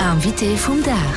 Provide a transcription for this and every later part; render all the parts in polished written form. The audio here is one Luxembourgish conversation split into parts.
Invité vum Dag.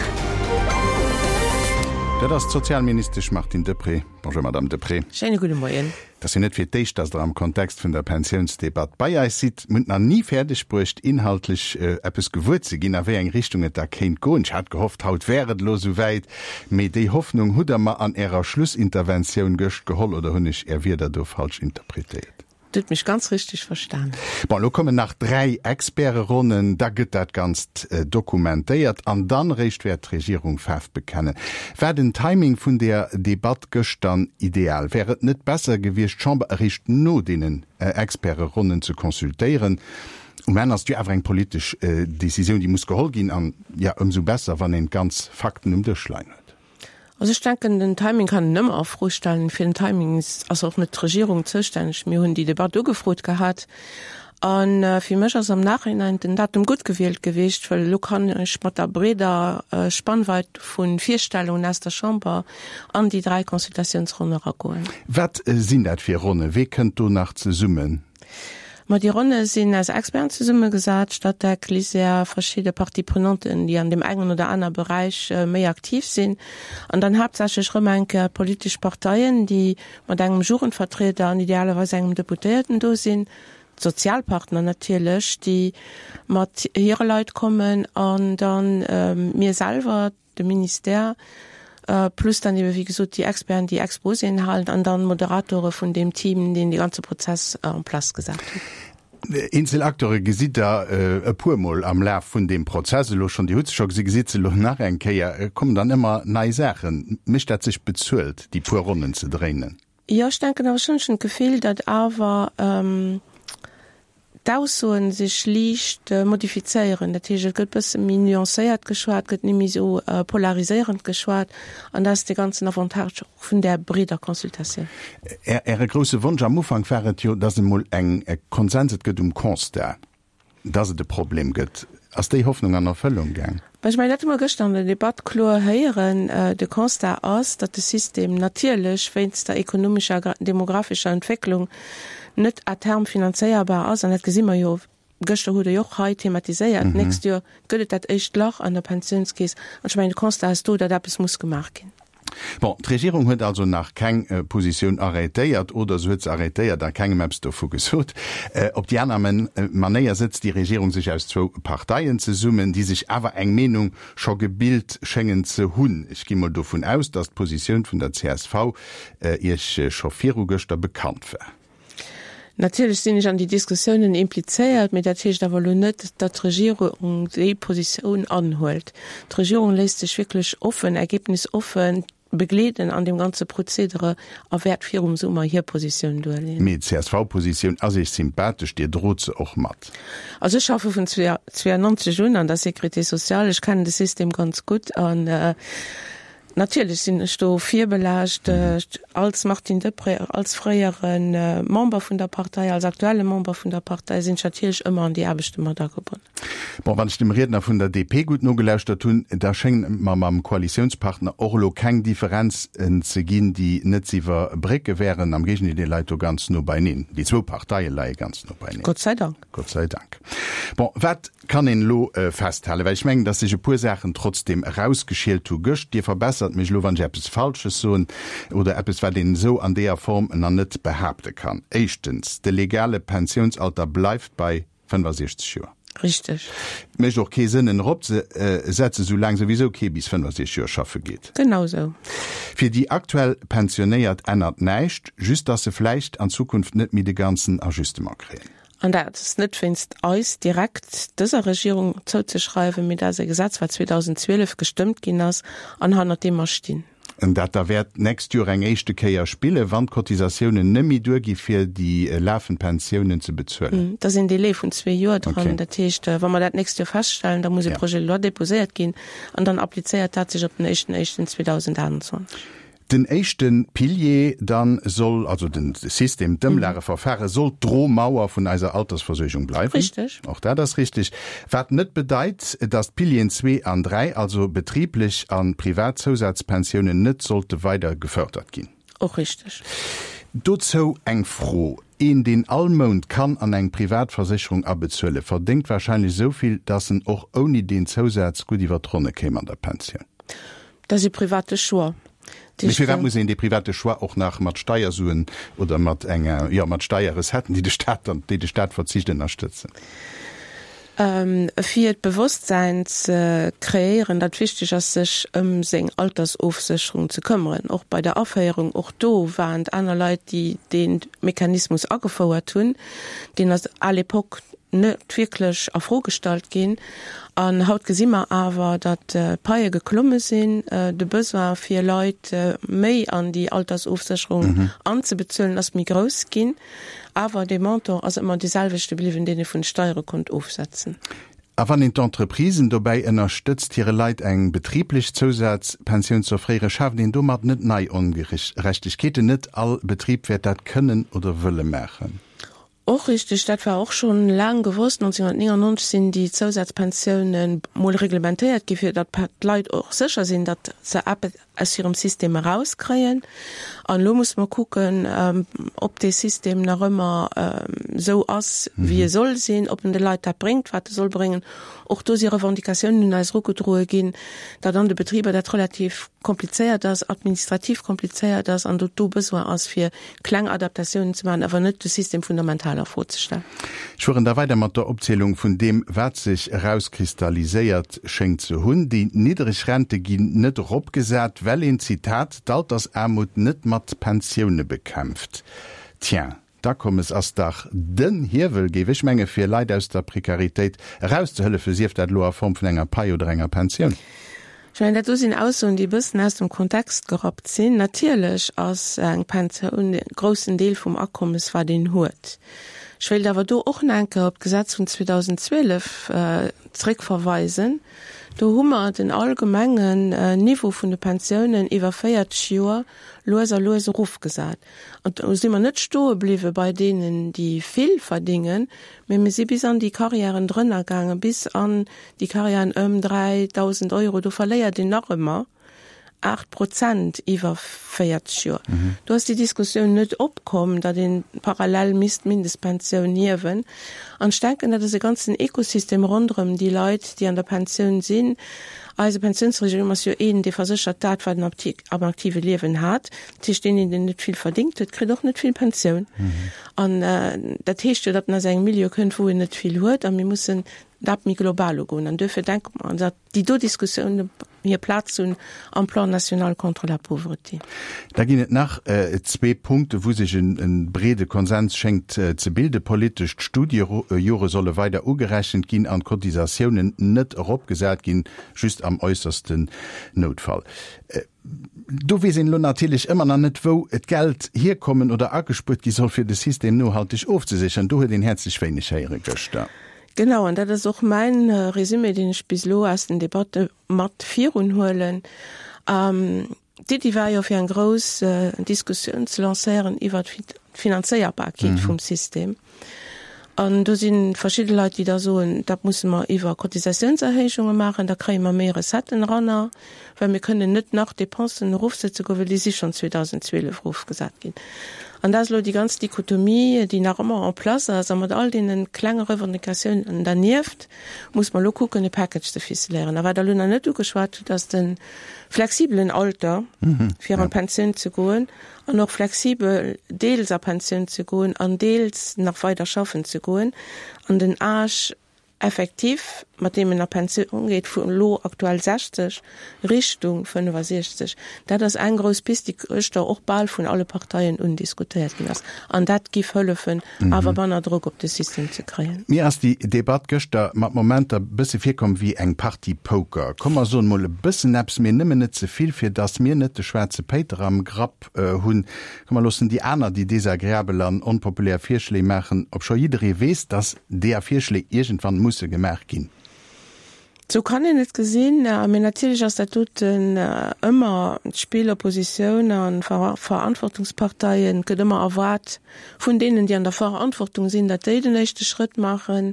Dat ass d'Sozialministesch Martine Deprez. Bonjour Madame Deprez. Schéine gudde Moien. Et ass jo net fir d'éischt, dass Der am Kontext vun der Pensiounsdebatt bei eis sidd. Mir hunn et nach ni fäerdeg bruecht, inhaltlech eppes gewuer ze ginn, a wéi eng Richtung et da kéint goen. Ech hat gehofft, haut wär et elo esou wäit, mee déi Hoffnung hutt Der mer an Ärer Schlussinterventioun gëscht geholl, oder hunn ech Är Wierder do falsch interpretéiert? Dir hutt mech ganz richteg verstan. Bon, elo kommen nach 3 Experteronnen, da gëtt dat Ganzt dokumentéiert an dann eréischt wäert d'Regierung Faarf bekennen. War den Timing vun der Debatt gëscht dann ideal? Wär et net besser gewiescht, d'Chamber eréischt no deenen Experteronnen ze consultéieren? Um Enn ass et jo awer eng politesch Decisioun, déi muss geholl ginn an, jo, ëmsou besser, wann een d'ganz Fakten um Dësch leien huet. Also ech denken, den Timing kann een ëmmer a Fro stellen. Fir den Timing ass och net d'Regierung zoustänneg. Mir hunn déi Debatt ugefrot gehat. A fir mech ass am Nachhinein den Datum gutt gewielt gewiescht, well elo kann ech mat der breeder Spannweit vu Virstellungen aus der Chamber an déi 3 Consultatiounsronne eragoen. Wat sinn dat fir Ronne? Wee kënnt do nach zesummen? Ma déi Ronne sinn aus Experten zesummegesat, Statec, LISER, verschidde Parties prenanten, déi an deem engen oder aner Beräich méi aktiv sinn, an dann haaptsächlech erëm eng Kéier d'politesch Parteien, déi mat engem Jugendvertrieder an idealerweis engem Deputéierten do sinn, d'Sozialpartner natierlech, déi mat hire Leit kommen, an dann mir selwer, de Ministère, plus dann ebe wéi gesot déi Experten, déi Exposéen halen an dann d'Moderatore vun deem Team, deen dee ganze Prozess en place gesat huet. Eenzel Acteure gesitt Der e puermol am Laf vun deem Prozess elo schonn. Dir hutt se scho gesi, gesitt se elo nach eng Kéier. Et kommen dann ëmmer nei Saachen. Mécht dat sech bezuelt, déi puer Ronnen ze dréinen? Jo, ech denken awer schonn, ech hunn d'Gefill, datt awer d'Aussoen sech liicht modifizéieren. Dat heescht, et gëtt bësse méi nuancéiert geschwat, gëtt net méi esou polariséierend geschwat an dat ass de ganzen Avantage och vun där breeder Consultatioun. Äre grousse Wonsch am Ufank war et jo, datt emol eng Konsens et gëtt um Constat. Dass et e Problem gëtt, ass déi Hoffnung an Erfëllung gaang? Ech mengen, dat hu mer gëschter an der Debatt kloer héieren. De Constat ass, datt de System natierlech wéinst der ekonomescher a demographescher Entwécklung net à terme finanzéierbar ass. An dat gesi mer jo, gëschter hutt Der jo och hei thematiséiert, d'nächst Joer gëtt et dat éischt Lach an der Pensiounskeess. An ech mengen, de Constat ass do, datt eppes muss gemaach ginn. Bon, d'Regierung huet also nach keng Positioun arrêtéiert, oder se huet se arrêtéiert a kengem eppes dovu gesot. Op déi aner Manéier sëtzt déi Regierung sech aus zwou Parteien zesummen, déi sech awer eng Meenung scho gebilt schéngen ze hunn. Ech gi mol dovun aus, datt d'Positioun vun der csv Iech scho viru gëschter bekannt war. Natierlech sinn ech an déi Diskussiounen implizéiert, mee dat heescht awer elo net, datt d'Regierung déi Positioun anhuelt. D'Regierung léisst sech wierklech offen, ergebnisoffen begleeden an deem ganze Prozedere a wäert virum Summer hir Positioun duerleeën. Mee d'CSV-Positioun ass Iech sympathesch, Dir drot se och mat? Also ech schaffe vun 92 un an der Sécurité sociale, ech kennen de System ganz gutt an Natierlech sinn ech do virbelaascht, als Martine Deprez, als fréiere Member vun der Partei, als aktuelle Member vun der Partei sinn ech natierlech ëmmer an déi Aarbechte mat agebonnen. Bon, wann ech dem Riedner vun der DP gutt nogelauschtert hunn, da schéngen et mer mam Koalitiounspartner och elo keng Differenzen ze ginn, déi net z'iwwerbrécke wären. Am Géigendeel, Dir leit do ganz no beineen. Déi zwou Parteie leie ganz no beineen. Gott sei Dank. Gott sei Dank. Bon, wat kann een elo festhalen, well ech mengen, dass sech e puer Saachen trotzdem erausgeschielt hu gëscht. Dir verbessert mech elo, wann ech eppes Falsches soen oder eppes, wat een esou an deeër Form nach net behaapte kann. Éischtens, de legale Pensiounsalter bleift bei 65 Joer. Richteg. Et mécht och kee Sënn, en eropzesetzen, soulaang souwisou kee bis 65 Joer schaffe geet. Genau esou. Fir déi aktuell Pensionéiert ännert näischt, just dass se vläicht an Zukunft net méi de ganzen Ajustement kréien. An dat ass net wéinst eis direkt, dëser Regierung, zouzeschreiwen, mee dat ass e Gesetz, wat 2012 gestëmmt ginn ass an hannert deem mer stinn. An dat da wäert d'nächst Joer eng éischte Kéier spillen, wann d'Cotisatiounen net méi duergi fir déi lafend Pensiounen ze bezuelen. Et ass een Délai vun zwee Joer dran. Dat heescht, wa mer dat d'nächst Joer feststellen, da muss e Projet de loi déposéiert ginn an dann applizéiert dat sech op den éischten éischten 2028. Den éischte Pilier dann soll, also den System, d'Ëmlageverfahre soll d'Dromauer vun eiser Altersversuergung bleiwen. Richtig. Och dat ass richtig. Wat net bedeit, dass d'Pilieren zwee an dräi, also betriblech a privat Zousazpensiounen, net sollte weider gefördert ginn. Och richtig. Dozou eng Fro, Een, deen all Mount kann an eng Privatversécherung abezuelen, verdéngt wahrscheinlech esou vill, dass en och ouni deen Zousaz gutt iwwer d'Ronne kéim an der Pensioun. Dat ass e private Choix. Mee firwat muss een dee private Choix och nach mat Steiersuen oder mat enger, jo, mat Steierrecetten, déi de Staat dann, déi de Staat verzicht, ënnerstëtzen? Fir d'Bewosstsäin ze kreéieren, datt wichteg ass, sech ëm seng Altersofsécherung ze këmmeren. Och bei der Aféierung, och do waren et aner Leit, déi dee Mechanismus agefouert hunn. Deen ass à l'époque net wierklech a Fro gestallt ginn. An haut gesi mer awer, datt d'Paie geklomme sinn, de Besoin fir Leit méi an déi Altersofsécherung anzebezuelen ass méi grouss ginn. Awer dee Montant ass ëmmer dee selwechte bliwwen, deen ee vun de Steiere konnt ofsetzen. A wann een d'Entreprisen dobäi ënnerstëtzt, hire Leit eng betriblech Zousazpensioun z'offréieren, schaaft een domat net nei Ongerechtegkeeten? Net all Betrib wäert dat kënnen oder wëlle maachen. Och richteg, dat war och schonn laang gewosst. 1999 sinn déi Zousazpensiounen mol reglementéiert gi fir datt d'Leit och sécher sinn, datt se eppes aus hirem System erauskréien. An elo musse mer kucken, ob dee System nach ëmmer esou ass, wéi e soll sinn, ob en de Leit dat bréngt, wat e soll bréngen. Och do si Revendicatiounen un eis erugedroe ginn, datt an de Betriber dat relativ komplizéiert ass, administrativ komplizéiert ass an datt do Besoin ass, fir kleng Adaptatiounen ze maachen, awer net de System fundamental a Fro ze stellen. Ech fueren da weider mat der Opzielung vun deem, wat sech erauskristalliséiert schéngt ze hunn. Déi niddreg Rente ginn net eropgesat, well een, Zitat, d'Altersaarmut net mat Pensioune bekämpft. Tiens, d'Akommes ass dach den Hiewel, géif ech mengen, fir Leit aus der Prekaritéit erauszehëllefen, sief dat elo a Form vun enger Pai oder enger Pensioun. Ech mengen, dat do sinn Aussoen, déi e bëssen aus dem Kontext gerappt sinn. Natierlech ass eng Pensioun e groussen Deel vum Akommes, wat een huet. Ech wéilt awer do och nach eng Kéier op d'Gesetz vun 2012 zréckverweisen. Do hu mer den allgemengen Niveau vun de Pensiounen iwwer 40 Joer lues a lues erofgesat. An do si mer net stoe bliwwe bei deenen, déi vill verdingen, mee mir si bis an déi Carrièren drënner gaangen, bis an Déi Carrièren ëm 3.000 Euro, do verléiert een nach ëmmer 8 Prozent iwwer 40 Joer. Do ass déi Diskussioun net opkomm, datt ee parallel misst d'Mindestpensioun hiewen. An ech denken, dat ass e ganzen Ekosystem ronderëm déi Leit, déi an der Pensioun sinn. Eise Pensiounsregime ass jo een, dee verséchert dat, wat en am aktive Liewen hat. Dat heescht, deen, deen net vill verdéngt huet, kritt och net vill Pensioun. An dat heescht jo, datt en aus engem Milieu kënnt, wou en net vill huet. A mir mussen dat méi global ugoen. An duerfir denke mer, datt déi do Diskussioune hir Plaz hunn am Plan national contre la pauvreté. Da ginn et nach zwee Punkte wou sech e breede Konsens schéngt ze bilde politesch. D'Studiejore solle weider ugerechent ginn an d'Cotisatiounen net eropgesat ginn, just am äussersten Noutfall. Do weess een elo natierlech ëmmer nach net, wou d'Geld hierkommen oder agespuert gi soll, fir de System nohalteg ofzesécheren. Do huet een häerzlech wéineg héiere gëschter. Genau, an dat ass och mäin Résumé, deen ech bis elo aus den Debatte mat virun huelen. D'Iddi war jo, fir eng grouss Diskussioun ze lancéieren iwwert d'Finanzéierbarkeet vum System. An do si verschidde Leit, déi da soen, dat musse mer iwwer Cotisatiounserhéijunge maachen, da kréie mer méi Recetten eranner, well mir kënnen net nach Dépensen erofsetze goen, well déi si schonn 2012 erofgesat ginn. An dat ass elo déi ganz Dichotomie, déi nach ëmmer en place ass. A mat all deene klenge Revendicatiounen dernieft muss mer elo kucken, e Package ze ficeléieren. A wat Der elo nach net ugeschwat hutt, ass de flexibelen Alter, fir an d'Pensioun ze goen. An och flexibel deels a Pensioun ze goen an deels nach weider schaffen ze goen an den Âge effectif, mat deem en a Pensioun geet, vu elo aktuell 60 Richtung 65. Dat ass eng grouss Pist, déi gëschter och bal vun alle Parteien undiskutéiert ginn ass. An dat giff hëllefen, awer manner Drock op de System ze kréien. Mir ass déi Debatt gëschter mat Momenter bësse virkomm wéi eng Partie Poker. Komm mer soen mol e bëssen eppes, mee nëmmen net ze vill, fir dass mir net de schwaarze Péiter am Grapp hunn. Komm mer loossen déi aner déi desagreabel an onpopulär Virschléi maachen, obscho jidderee weess, dass deeër Virschléi iergendwann musse gemaach ginn. Sou kann een et gesinn. Mee natierlech ass dat doten ëmmer d'Spill Oppositioun a Verantwortungsparteien. Et gëtt ëmmer erwaart vun deenen, déi an der Verantwortung sinn, datt déi den éischte Schrëtt maachen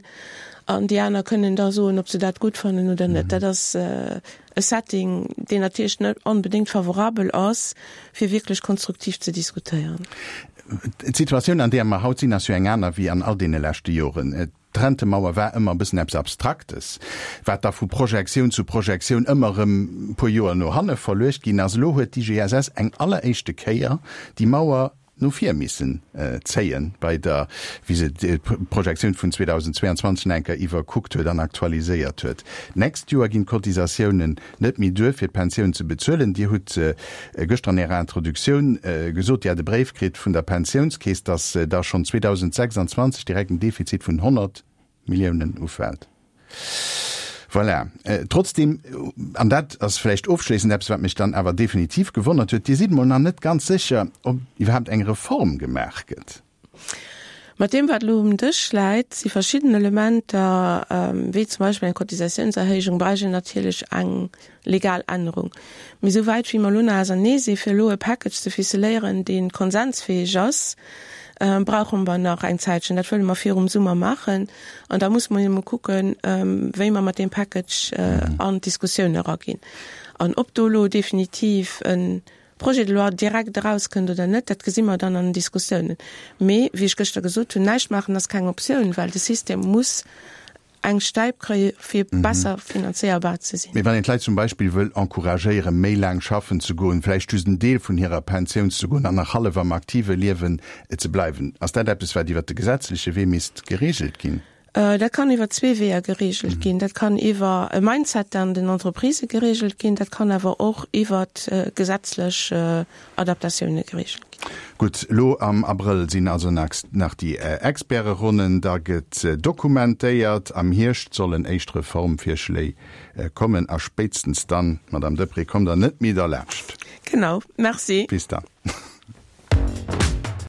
an déi aner kënnen da soen, ob se dat gutt fannen oder net. Dat ass e Setting, deen natierlech net onbedéngt favorabel ass, fir wierklech konstruktiv ze diskutéieren. D'Situatioun, an där mer haut sinn, ass jo eng aner wéi an all deene leschte Joren. D'Rentemauer war ëmmer e bëssen eppes Abstraktes, wat da vu Projektioun zu Projektioun ëmmer erëm e puer Joer no hanne verluecht ginn ass. Elo huet d'IGSS eng alleréischte Kéier déi Mauer no vir missen zéien, bei der, wéi se d'Projektioun vun 2022 nach eng Kéier iwwerkuckt huet an aktualiséiert huet. D'nächst Joer ginn d'Cotisatiounen net méi duer, fir d'Pensioun ze bezuelen. Dir hutt gëschter an Ärer Introduktioun gesot, Dir hätt e Bréif kritt vun der Pensiounskeess, datt da schonn 2026 direkt en Defizit vun 100 Milliounen ufält. Voilà. Trotzdeem, an dat ass vläicht ofschléissend eppes, wat mech dann awer definitiv gewonnert huet, Dir sidd emol nach net ganz sécher, ob iwwerhaapt eng Reform gemaach gëtt. Mat deem, wat elo um Dësch läit, si verschidden Elementer, wéi zum Beispill eng Cotisatiounserhéijung, bräicht een natierlech eng legal Ännerung. Mee esou wäit wéi mer elo nach ausernee si fir elo e Package ze ficeléieren, dee konsensfäeg ass, brauche mer nach eng Zäitchen. Dat wëlle mer virum Summer maachen. An da musse mer jo emol kucken, wéi mer mat deem Package an d'Diskussioun eraginn. An ob do elo definitiv e Projet de loi direkt erauskënnt oder net, dat gesi mer dann an den Diskussiounen. Mee, wéi ech gëschter gesot hunn, näischt maachen ass keng Optioun, well de System muss eng Stäip kréie fir besser finanzéierbar ze sinn. Mee wann een d'Leit zum Beispill wëll encouragéieren, méi laang schaffen ze goen, vläicht just en Deel vun hirer Pensioun ze goen an nach hallef am aktive Liewen ze bleiwen, ass dat eppes, wat iwwert de gesetzleche Wee misst geregelt ginn? Dat kann iwwer zwee Weeër geregelt ginn. Dat kann iwwer e Mindset an den Entreprisë geregelt ginn, dat kann awer och iwwer gesetzlech Adaptatioune geregelt ginn. Gutt, elo am Abrëll sinn also nach déi Experteronnen, da gëtt dokumentéiert, am Hierscht sollen éischt Reformvirschléi kommen a spéitstens dann, Madame Deprez, kommt Der net méi derlaanscht. Genau. Merci. Bis dann.